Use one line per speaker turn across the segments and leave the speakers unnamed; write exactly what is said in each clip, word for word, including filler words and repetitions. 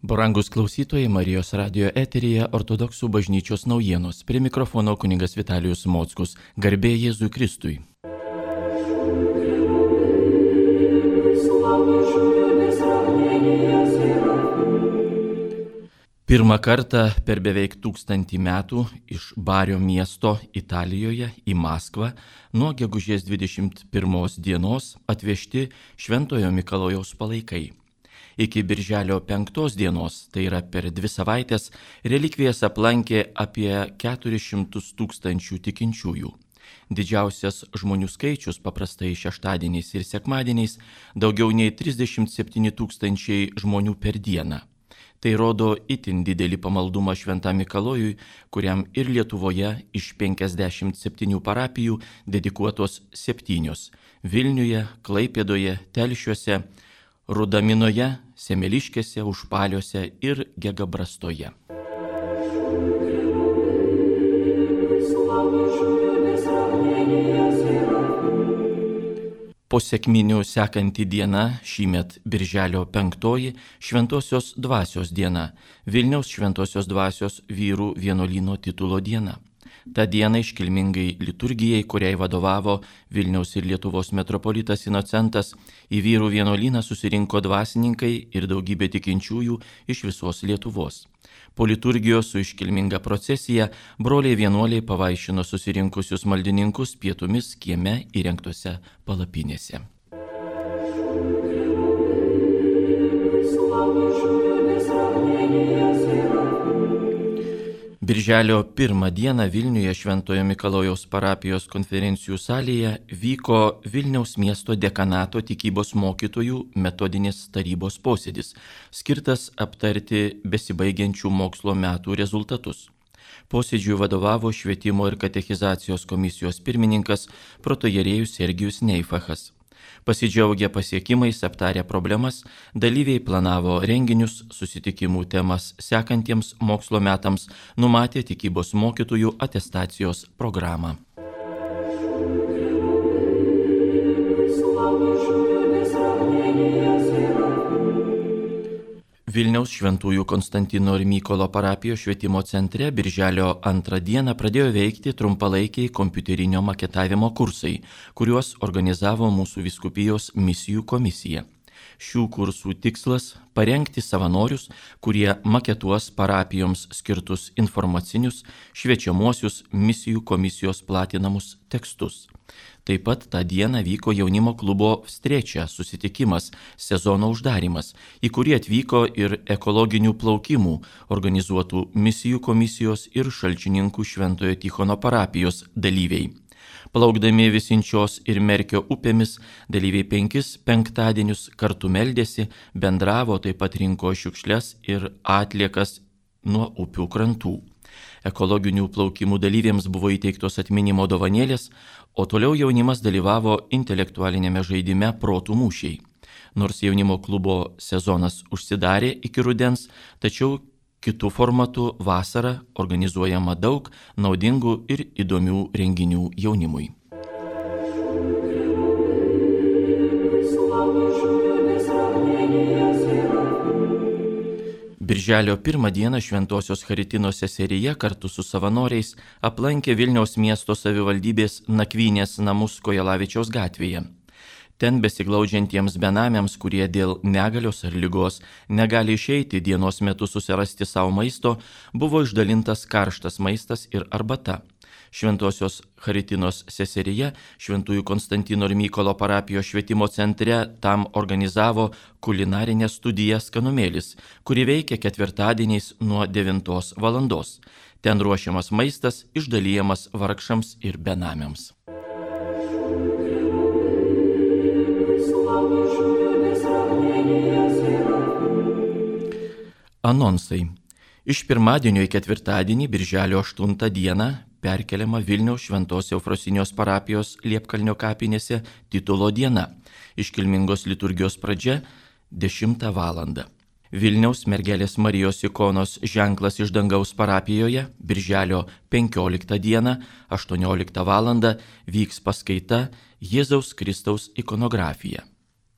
Brangus klausytojai, Marijos radijo eteryje ortodoksų bažnyčios naujienos. Prie mikrofono kunigas Vitalijus Mockus. Garbė Jėzui Kristui. Pirmą kartą per beveik tūkstantį metų iš Bario miesto Italijoje į Maskvą nuo gegužės dvidešimt pirmos dienos atvežti Šventojo Mikalojaus palaikai. Iki birželio penktos dienos, tai yra per dvi savaitės, relikvijas aplankė apie keturis šimtus tūkstančių tikinčiųjų. Didžiausias žmonių skaičius paprastai šeštadieniais ir sekmadieniais daugiau nei trisdešimt septyni tūkstančiai žmonių per dieną. Tai rodo itin didelį pamaldumą Šventam Mikalojui, kuriam ir Lietuvoje iš penkiasdešimt septynių parapijų dedikuotos septynios – Vilniuje, Klaipėdoje, Telšiuose, Rudaminoje, Semeliškėse, Užpaliuose ir Gegabrastoje. Po sekminių sekanti diena, šįmet birželio penktoji, Šventosios dvasios diena, Vilniaus Šventosios dvasios vyrų vienuolyno titulo diena. Ta diena iškilmingai liturgijai, kuriai vadovavo Vilniaus ir Lietuvos metropolitas Inocentas, į vyrų vienuolyną susirinko dvasininkai ir daugybė tikinčiųjų iš visos Lietuvos. Po liturgijos su iškilminga procesija broliai vienuoliai pavaišino susirinkusius maldininkus pietumis kieme įrengtose palapinėse. Birželio pirmą dieną Vilniuje Šventojo Mikalojaus parapijos konferencijų salėje vyko Vilniaus miesto dekanato tikybos mokytojų metodinės tarybos posėdis, skirtas aptarti besibaigiančių mokslo metų rezultatus. Posėdžiui vadovavo Švietimo ir katechizacijos komisijos pirmininkas protoierėjus Sergijus Neifachas. Pasidžiaugę pasiekimais, aptarę problemas, dalyviai planavo renginius, susitikimų temas sekantiems mokslo metams, numatė tikybos mokytojų atestacijos programą. Vilniaus Šventųjų Konstantino ir Mykolo parapijos švietimo centre birželio antrą dieną pradėjo veikti trumpalaikiai kompiuterinio maketavimo kursai, kuriuos organizavo mūsų vyskupijos misijų komisija. Šių kursų tikslas – parengti savanorius, kurie maketuos parapijoms skirtus informacinius, šviečiamuosius misijų komisijos platinamus tekstus. Taip pat tą dieną vyko jaunimo klubo Vstrečia susitikimas, sezono uždarimas, į kurį atvyko ir ekologinių plaukimų organizuotų misijų komisijos ir Šalčininkų Šventojo Tichono parapijos dalyviai. Plaukdami Visinčios ir Merkio upėmis, dalyviai penkis penktadienius kartu meldėsi, bendravo, taip pat rinko šiukšles ir atliekas nuo upių krantų. Ekologinių plaukimų dalyviams buvo įteiktos atminimo dovanėlės, o toliau jaunimas dalyvavo intelektualinėme žaidime Protų mūšiai. Nors jaunimo klubo sezonas užsidarė iki rudens, tačiau kitų formatų vasarą organizuojama daug naudingų ir įdomių renginių jaunimui. Birželio pirmą dieną Šventosios Charitinos seserija kartu su savanoriais aplankė Vilniaus miesto savivaldybės nakvynės namus Kojelavičiaus gatvėje. Ten besiglaudžiantiems benamiams, kurie dėl negalios ar ligos negali išeiti dienos metu susirasti savo maisto, buvo išdalintas karštas maistas ir arbata. Šventosios Charitinos seserija Šventųjų Konstantino ir Mykolo parapijos švietimo centre tam organizavo kulinarinę studiją Skanumėlis, kuri veikia ketvirtadieniais nuo devintos valandos. Ten ruošiamas maistas išdalijamas vargšams ir benamiams. Anonsai. Iš pirmadienio į ketvirtadienį, birželio aštuntą dieną, perkeliama Vilniaus Šventos Eufrosinijos parapijos Liepkalnio kapinėse titulo diena. Iškilmingos liturgijos pradžia dešimtą valandą. Vilniaus Mergelės Marijos ikonos ženklas iš dangaus parapijoje birželio penkioliktą dieną aštuonioliktą valandą vyks paskaita Jėzaus Kristaus ikonografija.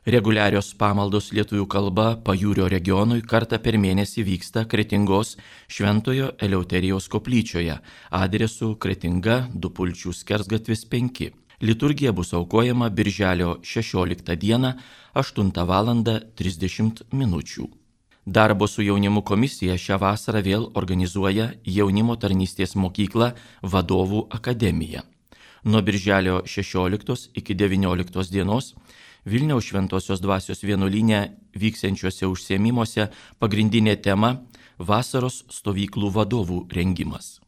Reguliarios pamaldos lietuvių kalba Pajūrio regionui kartą per mėnesį vyksta Kretingos Šventojo Eleuterijaus koplyčioje adresu Kretinga, Dupulčių skersgatvis penki. Liturgija bus aukojama birželio šešioliktą dieną aštuntą valandą trisdešimt minučių. Darbo su jaunimu komisija šią vasarą vėl organizuoja Jaunimo tarnystės mokyklą Vadovų akademiją. Nuo birželio šešioliktos iki devynioliktos dienos Vilniaus Šventosios dvasios vienuolyne vyksiančiuose užsiėmimuose pagrindinė tema – vasaros stovyklų vadovų rengimas.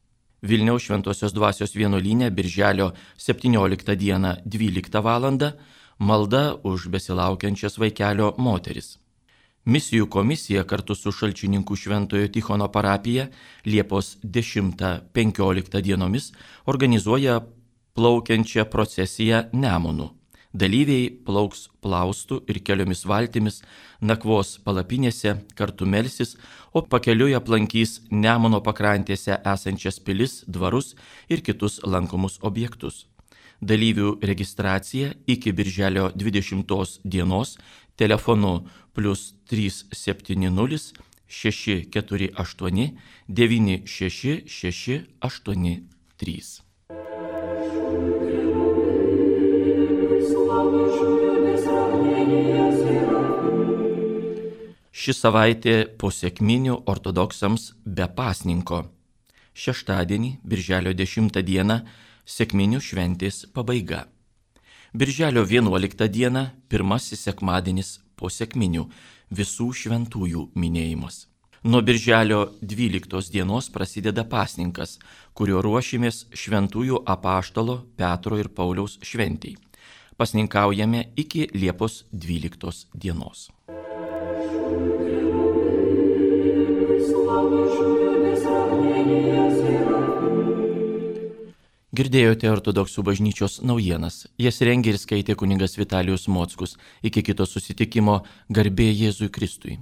Vilniaus Šventosios dvasios vienuolyne birželio septynioliktą dieną dvyliktą valandą malda už besilaukiančias vaikelio moteris. Misijų komisija kartu su Šalčininkų Šventojo Tichono parapija Liepos dešimtą penkioliktą dienomis organizuoja plaukiančią procesiją Nemunu. Dalyviai plauks plaustų ir keliomis valtimis, nakvos palapinėse, kartu melsis, o pakeliui aplankys Nemuno pakrantėse esančias pilis, dvarus ir kitus lankomus objektus. Dalyvių registracija iki birželio dvidešimtos dienos telefonu plus trys septyni nulis šeši keturi aštuoni devyni šeši šeši aštuoni trys. Ši savaitė po sekminių ortodoksams be pasninko. Šeštadienį, birželio dešimtą dieną, sekminių šventės pabaiga. Birželio vienuoliktą dieną, pirmasis sekmadienis po sekminių, visų šventųjų minėjimas. Nuo birželio dvyliktos dienos prasideda pasninkas, kurio ruošimės šventųjų apaštalo Petro ir Pauliaus šventei. Pasninkaujame iki Liepos dvyliktos dienos. Girdėjote ortodoksų bažnyčios naujienas. Jas rengė ir skaitė kunigas Vitalijus Mockus. Iki kito susitikimo, garbė Jėzui Kristui.